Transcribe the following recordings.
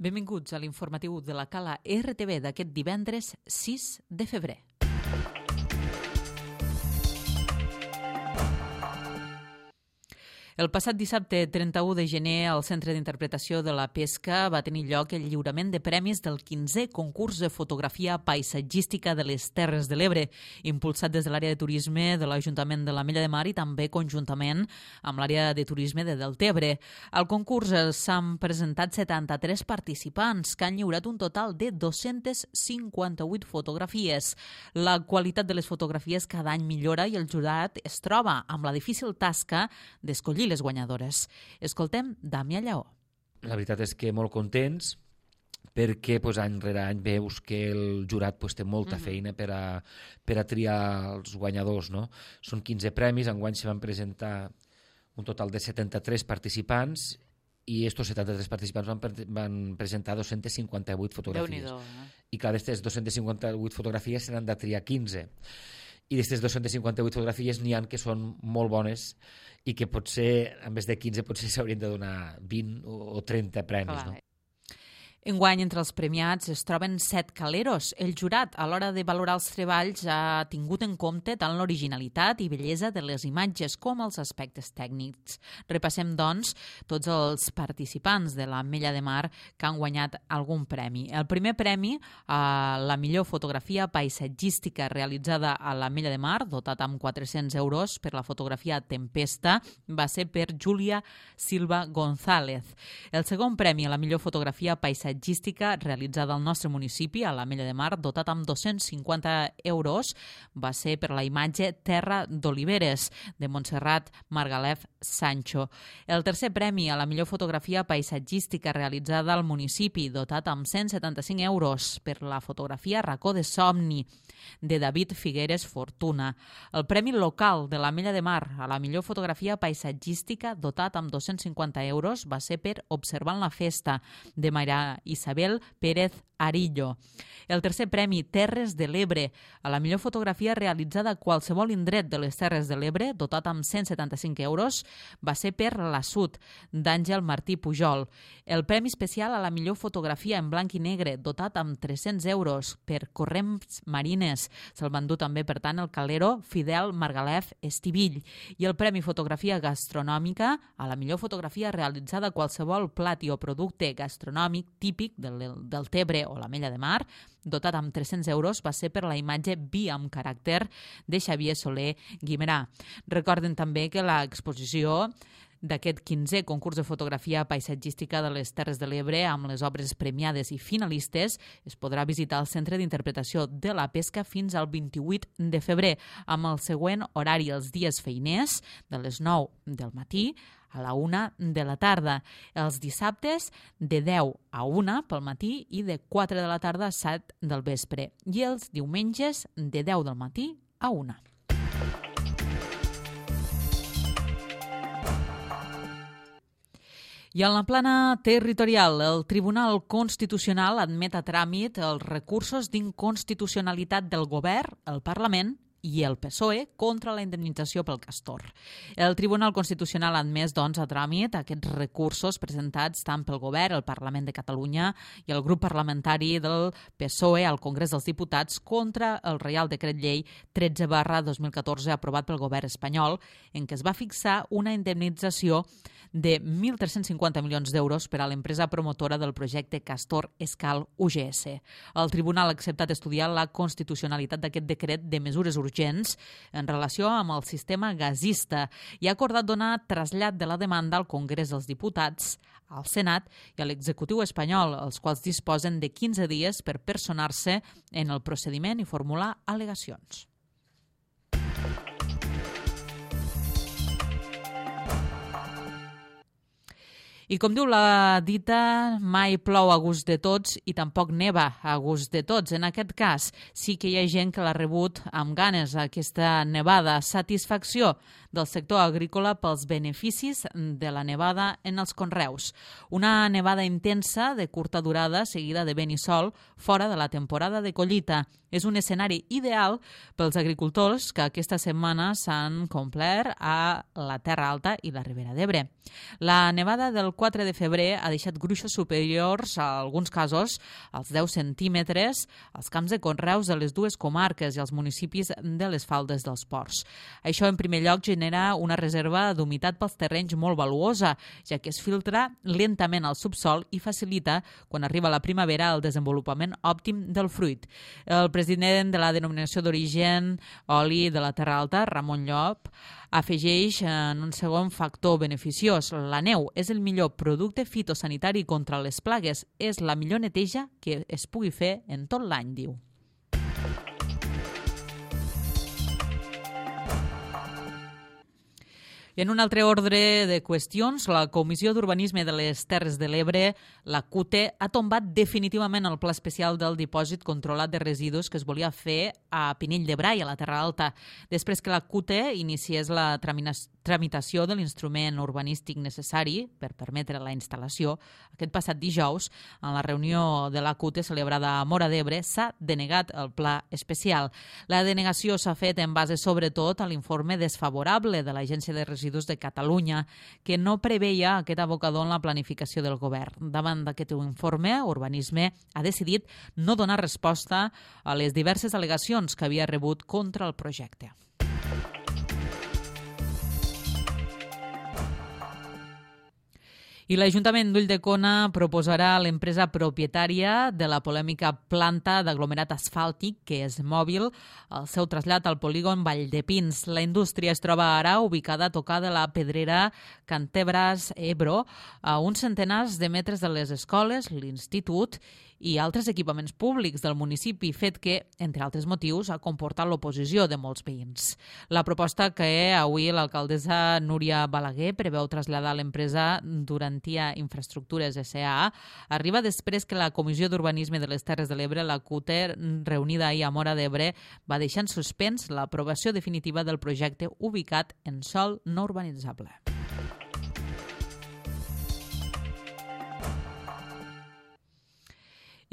Benvinguts a l'informatiu de la Cala RTV d'aquest divendres 6 de febrer. El passat dissabte 31 de gener al Centre d'Interpretació de la Pesca va tenir lloc el lliurament de premis del 15è concurs de fotografia paisatgística de les Terres de l'Ebre, impulsat des de l'àrea de turisme de l'Ajuntament de l'Ametlla de Mar i també conjuntament amb l'àrea de turisme de Deltebre. Al concurs s'han presentat 73 participants que han lliurat un total de 258 fotografies. La qualitat de les fotografies cada any millora i el jurat es troba amb la difícil tasca d'escollir les guanyadores. Escoltem Damià Lleó. La veritat és que molt contents perquè any rere any veus que el jurat té molta feina per a triar els guanyadors. No? Són 15 premis, enguany se van presentar un total de 73 participants i estos 73 participants van presentar 258 fotografies. I clar, d'aquestes 258 fotografies se n'han de triar 15. I d'aquestes 258 fotografies n'hi ha que són molt bones i que potser, en vez de 15, potser s'haurien de donar 20 o 30 premis. No? Enguany, entre els premiats es troben 7 caleros. El jurat, a l'hora de valorar els treballs, ha tingut en compte tant l'originalitat i bellesa de les imatges com els aspectes tècnics. Repassem, doncs, tots els participants de l'Ametlla de Mar que han guanyat algun premi. El primer premi, la millor fotografia paisatgística realitzada a l'Ametlla de Mar, dotat amb 400 euros per la fotografia Tempesta, va ser per Júlia Silva González. El segon premi a la millor fotografia paisatgística realitzada al nostre municipi, a l'Ametlla de Mar, dotat amb 250 euros, va ser per la imatge Terra d'Oliveres, de Montserrat Margalef Sancho. El tercer premi a la millor fotografia paisatgística realitzada al municipi, dotat amb 175 euros, per la fotografia Racó de Somni, de David Figueres Fortuna. El premi local de l'Ametlla de Mar a la millor fotografia paisatgística, dotat amb 250 euros, va ser per Observant la Festa, de Maria Isabel Pérez Arillo. El tercer premi, Terres de l'Ebre, a la millor fotografia realitzada a qualsevol indret de les Terres de l'Ebre, dotat amb 175 euros, va ser per La Sud, d'Àngel Martí Pujol. El premi especial a la millor fotografia en blanc i negre, dotat amb 300 euros, per Corrents Marines. Se'l va endur també, per tant, el calero Fidel Margalef Estivill. I el premi fotografia gastronòmica a la millor fotografia realitzada a qualsevol plat o producte gastronòmic típic del Tebre o l'Ametlla de Mar, dotat amb 300 euros, va ser per la imatge Vi amb caràcter de Xavier Soler Guimerà. Recorden també que l'exposició d'aquest 15è concurs de fotografia paisatgística de les Terres de l'Ebre amb les obres premiades i finalistes es podrà visitar al Centre d'Interpretació de la Pesca fins al 28 de febrer, amb el següent horari els dies feiners, de les 9 del matí a la 1 de la tarda. Els dissabtes de 10 a 1 pel matí i de 4 de la tarda a 7 del vespre. I els diumenges de 10 del matí a 1. I en la plana territorial, el Tribunal Constitucional admet a tràmit els recursos d'inconstitucionalitat del Govern, el Parlament i el PSOE contra la indemnització pel castor. El Tribunal Constitucional ha admès, doncs, a tràmit aquests recursos presentats tant pel Govern, el Parlament de Catalunya i el grup parlamentari del PSOE al Congrés dels Diputats contra el Reial Decret Llei 13/2014 aprovat pel Govern espanyol, en què es va fixar una indemnització de 1.350 milions d'euros per a l'empresa promotora del projecte Castor Escal UGS. El Tribunal ha acceptat estudiar la constitucionalitat d'aquest decret de mesures urgents en relació amb el sistema gasista i ha acordat donar trasllat de la demanda al Congrés dels Diputats, al Senat i a l'executiu espanyol, els quals disposen de 15 dies per personar-se en el procediment i formular al·legacions. I com diu la dita, mai plou a gust de tots i tampoc neva a gust de tots. En aquest cas, sí que hi ha gent que l'ha rebut amb ganes, aquesta nevada. Satisfacció del sector agrícola pels beneficis de la nevada en els conreus. Una nevada intensa de curta durada, seguida de vent i sol, fora de la temporada de collita. És un escenari ideal pels agricultors que aquesta setmana s'han complert a la Terra Alta i la Ribera d'Ebre. La nevada del 4 de febrer ha deixat gruixos superiors, a alguns casos, als 10 centímetres, als camps de conreus de les dues comarques i als municipis de les faldes dels ports. Això, en primer lloc, genera una reserva d'humitat pels terrenys molt valuosa, ja que es filtra lentament al subsol i facilita, quan arriba la primavera, el desenvolupament òptim del fruit. El president de la denominació d'origen oli de la Terra Alta, Ramon Llop, afegeix en un segon factor beneficiós. La neu és el millor producte fitosanitari contra les plagues. És la millor neteja que es pugui fer en tot l'any, diu. I en un altre ordre de qüestions, la Comissió d'Urbanisme de les Terres de l'Ebre, la CUTE, ha tombat definitivament el pla especial del dipòsit controlat de residus que es volia fer a Pinell de Brai, a la Terra Alta, després que la CUTE iniciés la tramitació de l'instrument urbanístic necessari per permetre la instal·lació. Aquest passat dijous, en la reunió de la CUTE celebrada a Móra d'Ebre, s'ha denegat el pla especial. La denegació s'ha fet en base sobretot a l'informe desfavorable de l'Agència de Residus de Catalunya, que no preveia aquest abocador en la planificació del govern. Davant d'aquest informe, Urbanisme ha decidit no donar resposta a les diverses al·legacions que havia rebut contra el projecte. I l'Ajuntament d'Ulldecona proposarà a l'empresa propietària de la polèmica planta d'aglomerat asfàltic, que és Mòbil, el seu trasllat al polígon Valldepins. La indústria es troba ara ubicada a tocar de la pedrera Cantebras-Ebro, a uns centenars de metres de les escoles, l'institut i altres equipaments públics del municipi, fet que, entre altres motius, ha comportat l'oposició de molts veïns. La proposta que avui l'alcaldessa Núria Balaguer preveu traslladar a l'empresa Durantia Infraestructures S.A. arriba després que la Comissió d'Urbanisme de les Terres de l'Ebre, la CUTE, reunida ahir a Móra d'Ebre, va deixar en suspens l'aprovació definitiva del projecte ubicat en sòl no urbanitzable.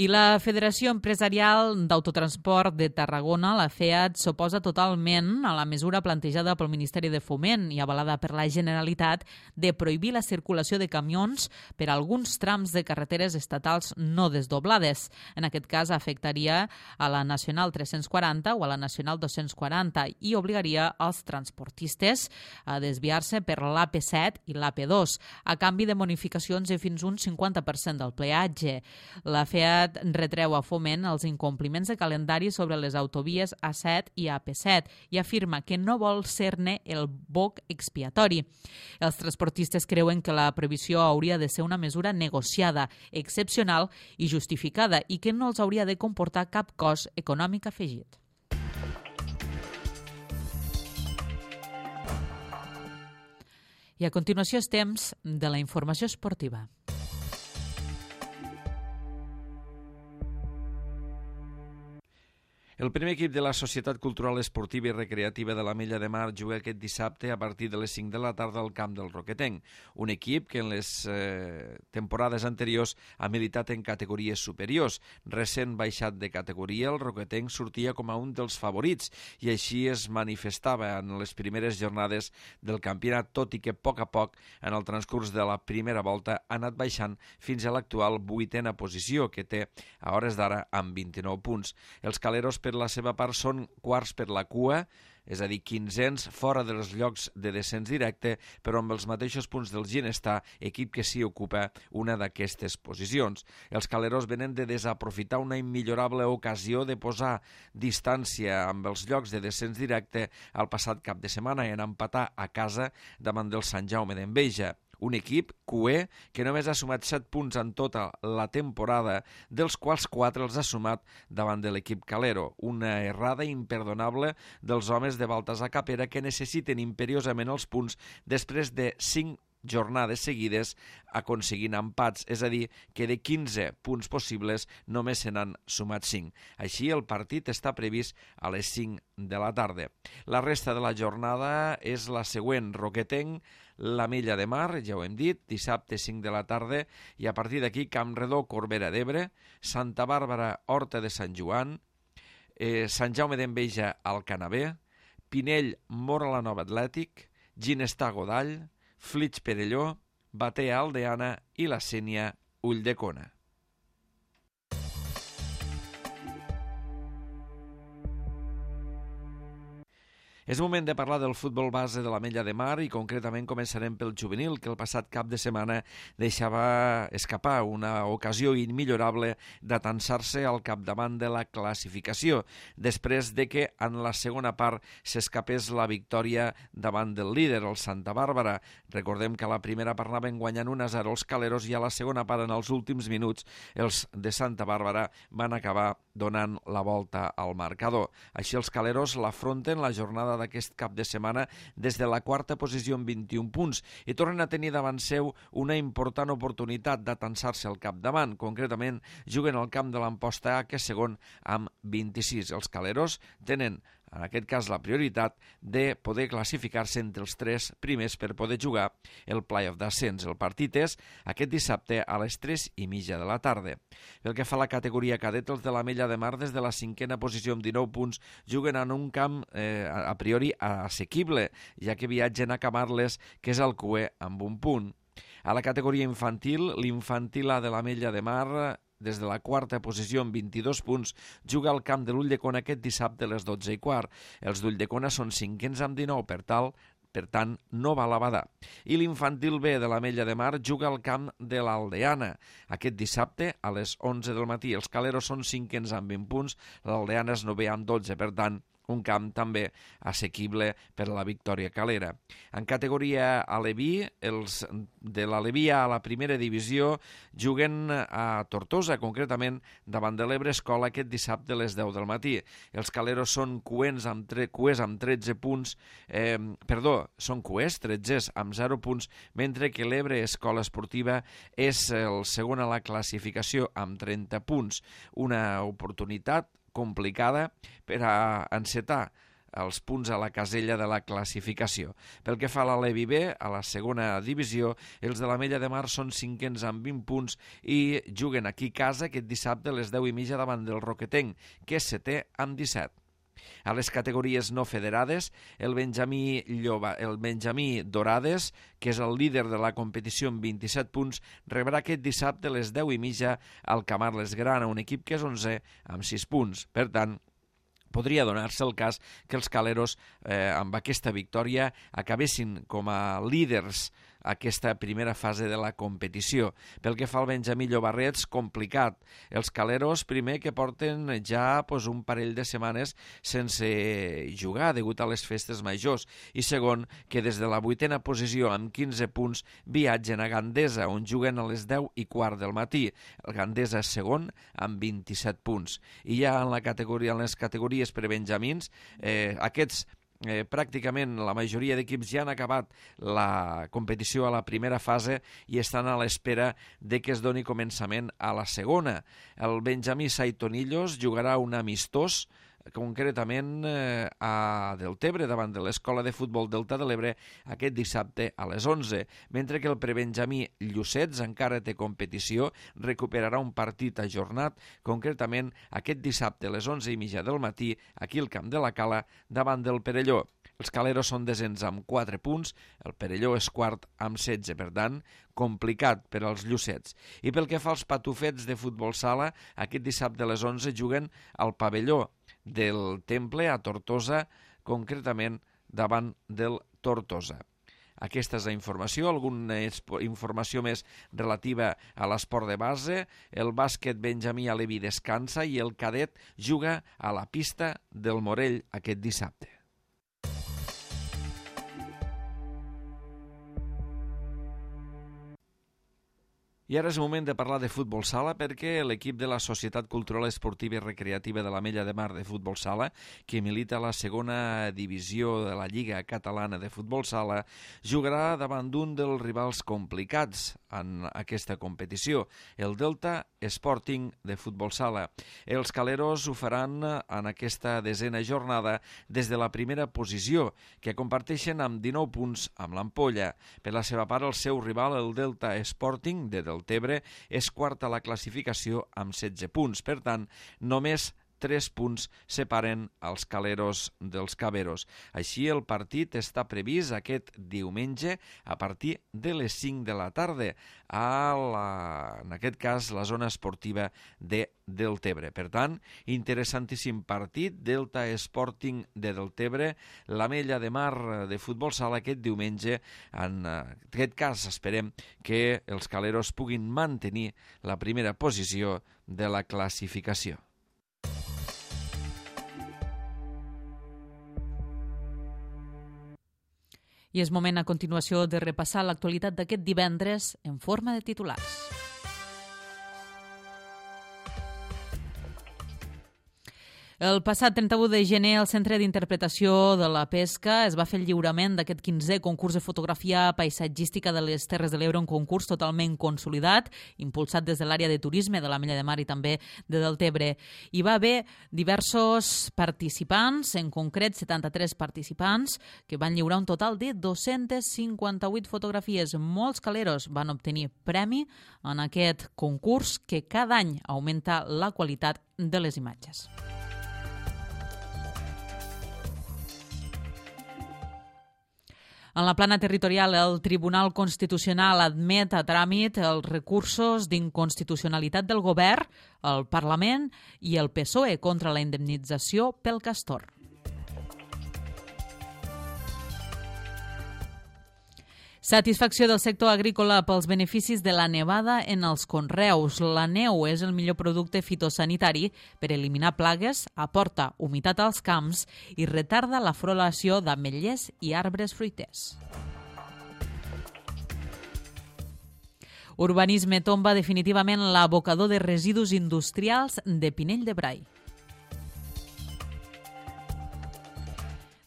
I la Federació Empresarial d'Autotransport de Tarragona, la FEAT, s'oposa totalment a la mesura plantejada pel Ministeri de Foment i avalada per la Generalitat de prohibir la circulació de camions per a alguns trams de carreteres estatals no desdoblades. En aquest cas, afectaria a la Nacional 340 o a la Nacional 240 i obligaria els transportistes a desviar-se per l'AP7 i l'AP2, a canvi de bonificacions de fins un 50% del peatge. La FEAT retreu a Foment els incompliments de calendari sobre les autovies A7 i AP7 i afirma que no vol ser-ne el boc expiatori. Els transportistes creuen que la prohibició hauria de ser una mesura negociada, excepcional i justificada i que no els hauria de comportar cap cost econòmic afegit. I a continuació és temps de la informació esportiva. El primer equip de la Societat Cultural Esportiva i Recreativa de l'Ametlla de Mar juga aquest dissabte a partir de les 5 de la tarda al camp del Roquetenc, un equip que en les temporades anteriors ha militat en categories superiors. Recent baixat de categoria, el Roquetenc sortia com a un dels favorits i així es manifestava en les primeres jornades del campionat, tot i que a poc, en el transcurs de la primera volta, ha anat baixant fins a l'actual 8a posició, que té a hores d'ara amb 29 punts. Els caleros, per la seva part, són quarts per la cua, és a dir, 15ens fora dels llocs de descens directe, però amb els mateixos punts del Ginestar, equip que sí ocupa una d'aquestes posicions. Els caleros venen de desaprofitar una immillorable ocasió de posar distància amb els llocs de descens directe al passat cap de setmana i en empatar a casa davant del Sant Jaume d'Enveja. Un equip cuer que només ha sumat 7 punts en tota la temporada, dels quals 4 els ha sumat davant de l'equip calero. Una errada imperdonable dels homes de Baltasar Capera, que necessiten imperiosament els punts després de 5 jornades seguides aconseguint empats, és a dir, que de 15 punts possibles només se n'han sumat 5. Així, el partit està previst a les 5 de la tarda. La resta de la jornada és la següent: Roquetenc, l'Ametlla de Mar, ja ho hem dit, dissabte 5 de la tarda, i a partir d'aquí Campredó, Corbera d'Ebre, Santa Bàrbara, Horta de Sant Joan, Sant Jaume d'Enveja al Canavè, Pinell Mora la Nova Atlètic, Ginestar Godall, Flix Perelló, Batea Aldeana i la Sénia Ulldecona. És moment de parlar del futbol base de l'Ametlla de Mar i concretament començarem pel juvenil, que el passat cap de setmana deixava escapar una ocasió immillorable d'atansar-se al capdavant de la classificació, després de que en la segona part s'escapés la victòria davant del líder, el Santa Bàrbara. Recordem que a la primera part anaven guanyant 1-0 els caleros i a la segona part, en els últims minuts, els de Santa Bàrbara van acabar donant la volta al marcador. Així els caleros l'afronten la jornada d'aquest cap de setmana des de la quarta posició amb 21 punts i tornen a tenir davant seu una important oportunitat d'atansar-se al capdavant. Concretament, juguen al camp de l'Amposta A, que és segon amb 26. Els caleros tenen en aquest cas la prioritat de poder classificar-se entre els 3 primers per poder jugar el play-off d'ascens. El partit és aquest dissabte a les 3:30 de la tarda. Pel que fa a la categoria cadet, els de l'Ametlla de Mar des de la 5a posició amb 19 punts juguen en un camp a priori assequible, ja que viatgen a Camarles, que és el cuer amb 1 punt. A la categoria infantil, l'Infantil A de l'Ametlla de Mar, des de la quarta posició amb 22 punts, juga al camp de l'Ulldecona aquest dissabte a les 12:15. Els d'Ulldecona són 5ens amb 19, per tant, no va a la badar. I l'Infantil B de l'Ametlla de Mar juga al camp de l'Aldeana aquest dissabte a les 11 del matí. Els caleros són 5ens amb 20 punts, l'Aldeana és 9è amb 12, per tant, un camp també assequible per a la Victòria Calera. En categoria aleví, els de l'Aleví a la primera divisió juguen a Tortosa, concretament davant de l'Ebre Escola aquest dissabte a les 10 del matí. Els caleros són cuers amb 13 punts, són cuers, 13 amb 0 punts, mentre que l'Ebre Escola Esportiva és el segon a la classificació amb 30 punts. Una oportunitat complicada per a encetar els punts a la casella de la classificació. Pel que fa a l'Aleví B, a la segona divisió, els de l'Ametlla de Mar són 5ens amb 20 punts i juguen aquí a casa aquest dissabte a les 10:30 davant del Roquetenc, que és 7è amb 17. A les categories no federades, el Benjamí Dorades, que és el líder de la competició amb 27 punts, rebrà aquest dissabte a les 10:30 al Camarles Grana, un equip que és 11è amb 6 punts. Per tant, podria donar-se el cas que els caleros amb aquesta victòria acabessin com a líders aquesta primera fase de la competició. Pel que fa al Benjamí Llobarrets, complicat. Els caleros, primer, que porten ja un parell de setmanes sense jugar degut a les festes majors, i segon, que des de la 8a posició amb 15 punts viatgen a Gandesa, on juguen a les 10:15 del matí. El Gandesa és segon amb 27 punts. I ja en les categories per benjamins, aquests pràcticament la majoria d'equips ja han acabat la competició a la primera fase i estan a l'espera de que es doni començament a la segona. El Benjamí Saitonillos jugarà un amistós concretament a Deltebre, davant de l'Escola de Futbol Delta de l'Ebre, aquest dissabte a les 11, mentre que el prebenjamí Llucets encara té competició, recuperarà un partit ajornat, concretament aquest dissabte a les 11:30 del matí, aquí al Camp de la Cala, davant del Perelló. Els caleros són desens amb 4 punts, el Perelló és quart amb 16, per tant, complicat per als llucets. I pel que fa als patufets de futbol sala, aquest dissabte a les 11 juguen al pavelló del Temple a Tortosa, concretament davant del Tortosa. Aquesta és la informació, alguna informació més relativa a l'esport de base. El bàsquet Benjamí Aleví descansa i el cadet juga a la pista del Morell aquest dissabte. I ara és moment de parlar de futbol sala perquè l'equip de la Societat Cultural Esportiva i Recreativa de l'Ametlla de Mar de Futbol Sala, que milita a la segona divisió de la Lliga Catalana de Futbol Sala, jugarà davant d'un dels rivals complicats en aquesta competició, el Delta Sporting de Futbol Sala. Els caleros ho faran en aquesta desena jornada des de la primera posició, que comparteixen amb 19 punts amb l'Ampolla. Per la seva part, el seu rival, el Delta Sporting de Deltebre, és quart a la classificació amb 16 punts. Per tant, només 3 punts separen els caleros dels caberos. Així, el partit està previst aquest diumenge a partir de les 5 de la tarda en aquest cas, la zona esportiva de Deltebre. Per tant, interessantíssim partit, Delta Sporting de Deltebre, l'Ametlla de Mar de futbol sala aquest diumenge. En aquest cas, esperem que els caleros puguin mantenir la primera posició de la classificació. I és moment a continuació de repassar l'actualitat d'aquest divendres en forma de titulars. El passat 31 de gener, al Centre d'Interpretació de la Pesca es va fer el lliurament d'aquest 15è concurs de fotografia paisatgística de les Terres de l'Ebre, un concurs totalment consolidat, impulsat des de l'àrea de turisme de l'Ametlla de Mar i també de Deltebre. Hi va haver diversos participants, en concret 73 participants, que van lliurar un total de 258 fotografies. Molts caleros van obtenir premi en aquest concurs que cada any augmenta la qualitat de les imatges. En la plana territorial, el Tribunal Constitucional admet a tràmit els recursos d'inconstitucionalitat del Govern, el Parlament i el PSOE contra la indemnització pel castor. Satisfacció del sector agrícola pels beneficis de la nevada en els conreus. La neu és el millor producte fitosanitari per eliminar plagues, aporta humitat als camps i retarda la floració d'ametllers i arbres fruiters. Urbanisme tomba definitivament l'abocador de residus industrials de Pinell de Brai.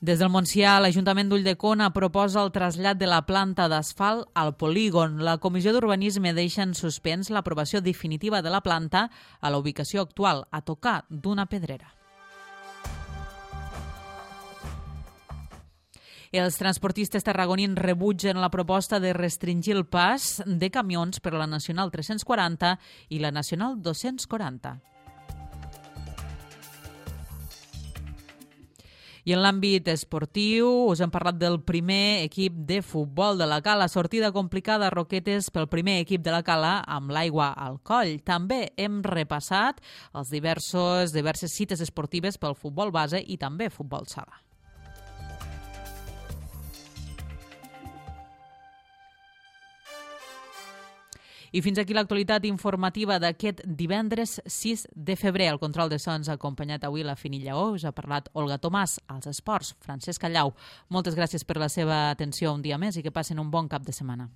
Des del Montsià, l'Ajuntament d'Ulldecona proposa el trasllat de la planta d'asfalt al polígon. La Comissió d'Urbanisme deixa en suspens l'aprovació definitiva de la planta a la ubicació actual, a tocar d'una pedrera. Els transportistes tarragonins rebutgen la proposta de restringir el pas de camions per la Nacional 340 i la Nacional 240. I en l'àmbit esportiu us hem parlat del primer equip de futbol de la Cala. Sortida complicada a Roquetes pel primer equip de la Cala amb l'aigua al coll. També hem repassat els diverses cites esportives pel futbol base i també futbol sala. I fins aquí l'actualitat informativa d'aquest divendres 6 de febrer. El control de sons ha acompanyat avui la Fini Lleó. Us ha parlat Olga Tomàs, als esports, Francesc Callau. Moltes gràcies per la seva atenció un dia més i que passen un bon cap de setmana.